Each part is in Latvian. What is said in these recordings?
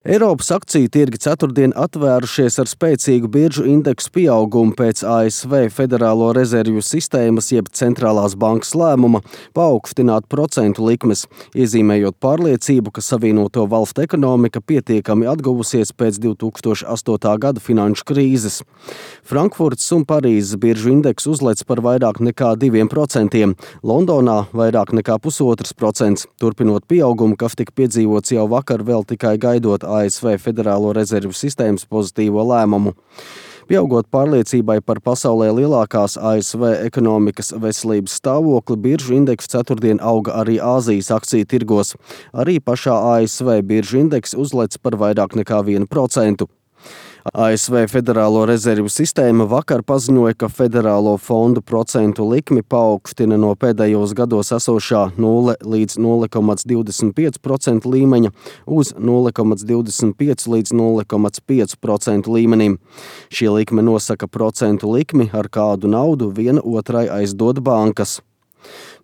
Eiropas akciju tirgi ceturtdien atvērušies ar spēcīgu biržu indeksu pieaugumu pēc ASV Federālo rezervju sistēmas jeb centrālās bankas lēmuma paaugstināt procentu likmes, iezīmējot pārliecību, ka Savienoto Valstu ekonomika pietiekami atguvusies pēc 2008. gada finanšu krīzes. Frankfurtas un Parīzes biržu indeks uzlec par vairāk nekā 2%, Londonā vairāk nekā 0,5%, turpinot pieaugumu, kas tika piedzīvots jau vakar vēl tikai gaidot ASV Federālo rezervju sistēmas pozitīvo lēmumu. Pieaugot pārliecībai par pasaulē lielākās ASV ekonomikas veselības stāvokli, biržu indeks ceturtdien auga arī Āzijas akciju tirgos. Arī pašā ASV biržu indeks uzlec par vairāk nekā 1%. ASV Federālo rezervju sistēma vakar paziņoja, ka federālo fondu procentu likmi paaugstina no pēdējos gados esošā 0 līdz 0,25% līmeņa uz 0,25 līdz 0,5% līmenim. Šī likme nosaka procentu likmi, ar kādu naudu viena otrai aizdod bankas.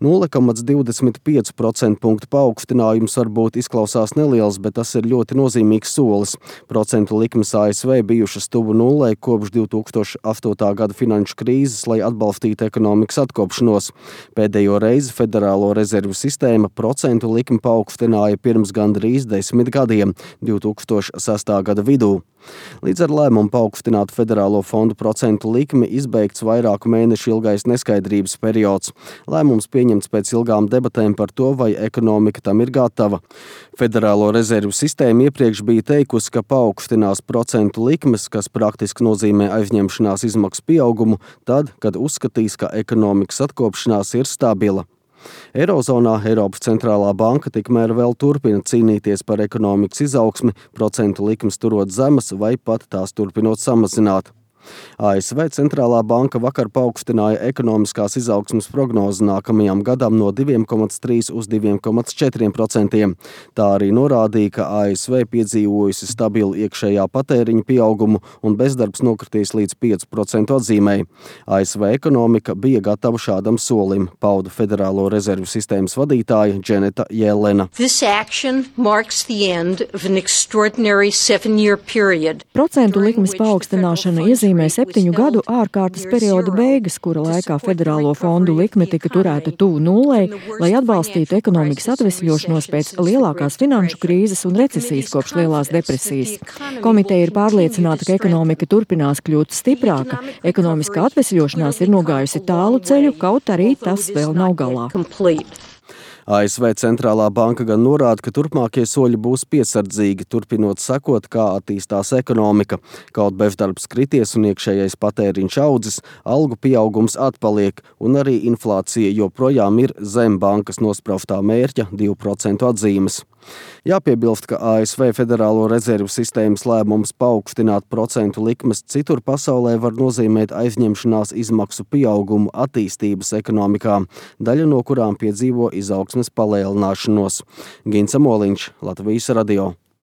0,25% punktu paaugstinājums varbūt izklausās neliels, bet tas ir ļoti nozīmīgs solis. Procentu likmes ASV bijušas tuvu nullei kopš 2008. gada finanšu krīzes, lai atbalstītu ekonomikas atkopšanos. Pēdējo reizi Federālo rezervju sistēma procentu likmi paaugstināja pirms gandrīz 10 gadiem, 2006. gada vidū. Līdz ar lēmumu paaugstināt federālo fondu procentu likmi izbeigts vairāku mēnešu ilgais neskaidrības periods. Lēmums pieņemts pēc ilgām debatēm par to, vai ekonomika tam ir gatava. Federālo rezervju sistēma iepriekš bija teikusi, ka paaugstinās procentu likmes, kas praktiski nozīmē aizņemšanās izmaksu pieaugumu, tad, kad uzskatīs, ka ekonomikas atkopšanās ir stabila. Eirozonā Eiropas centrālā banka tikmēr vēl turpina cīnīties par ekonomikas izaugsmi, procentu likmes turot zemas vai pat tās turpinot samazināt. ASV centrālā banka vakar paaugstināja ekonomiskās izaugsmes prognozi nākamajam gadam no 2,3 uz 2,4%. Tā arī norādīja, ka ASV piedzīvojusi stabilu iekšējā patēriņa pieaugumu un bezdarbs nokritīs līdz 5% atzīmei. ASV ekonomika bija gatava šādam solim, pauda Federālo rezervju sistēmas vadītāja Dženeta Jelena. Procentu likmes paaugstināšana iezīmē 7 gadu ārkārtas perioda beigas, kura laikā federālo fondu likme tika turēta tuvu nullei, lai atbalstītu ekonomikas atvesļošanos pēc lielākās finanšu krīzes un recesijas kopš lielās depresijas. Komiteja ir pārliecināta, ka ekonomika turpinās kļūt stiprāka. Ekonomiskā atvesļošanās ir nogājusi tālu ceļu, kaut arī tas vēl nav galā. ASV centrālā banka gan norāda, ka turpmākie soļi būs piesardzīgi, turpinot sekot, kā attīstās ekonomika. Kaut bezdarbs krities un iekšējais patēriņš audzis, algu pieaugums atpaliek un arī inflācija joprojām ir zem bankas nospraustā mērķa 2% atzīmes. Jāpiebilst, ka ASV Federālo rezervju sistēmas lēmums paaugstināt procentu likmes citur pasaulē var nozīmēt aizņemšanās izmaksu pieaugumu attīstības ekonomikā, daļa no kurām piedzīvo izaugsmes palielināšanos. Gins Amoliņš, Latvijas radio.